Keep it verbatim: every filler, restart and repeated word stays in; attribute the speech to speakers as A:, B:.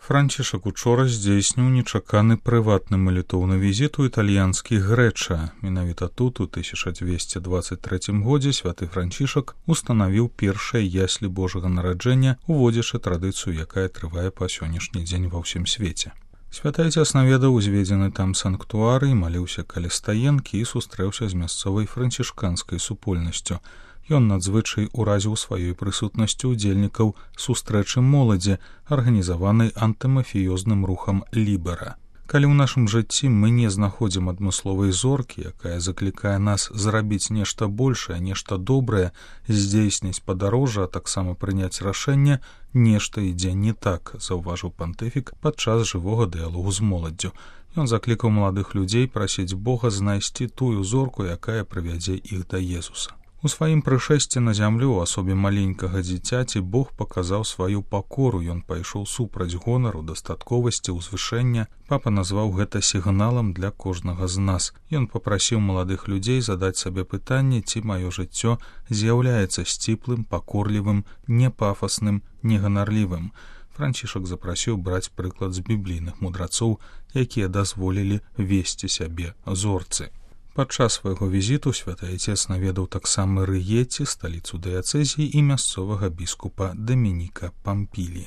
A: Францішак учора здзейсніў нечаканы прыватны малітоўны візіт у італьянскі Грэча. Менавіта тут у тысяча дзвесце дваццаць трэцім годзе святы Францішак устанавіў першае яслі Божага нараджэння, уводзячы традыцыю, якая трывае па сённяшні дзень ва ўсім свеце. Святы Ацец наведаў узведзены там санктуары, маліўся каля стаенкі і сустрэўся з мясцовай францішканскай супольнасцю. Ён надзвычай уразіў сваёй прысутнасцю удзельнікаў сустрэчы моладзі, арганізаванай антымафіёзным рухам Лібера. Калі ў нашым жыцці мы не знаходзім адмысловай зоркі, якая заклікае нас зрабіць нешта большае, нешта добрае, здзейсніць падарожжа, а таксама прыняць рашэнне, нешта ідзе не так, заўважыў пантыфік падчас жывога дыялогу з моладдзю. Ён заклікаў маладых людзей прасіць Бога знайсці тую зорку, якая прывядзе іх да Езуса. У сваім прышэсці на зямлю ў асобе маленькага дзіцяці Бог паказаў сваю пакору, ён пайшоў супраць гонару, дастатковасці, узвышэння. Папа назваў гэта сігналам для кожнага з нас. Ён папрасіў маладых людзей задаць сабе пытанне, ці маё жыццё з'яўляецца сціплым, пакорлівым, непафасным, неганарлівым. Францішак запрасіў браць прыклад з біблійных мудрацоў, якія дазволілі весці сябе зорцы. Падчас свайго візіту святы Ацец наведаў таксама Рыеці, сталіцу дыяцэзіі, і мясцовага біскупа Дамініка Пампілі.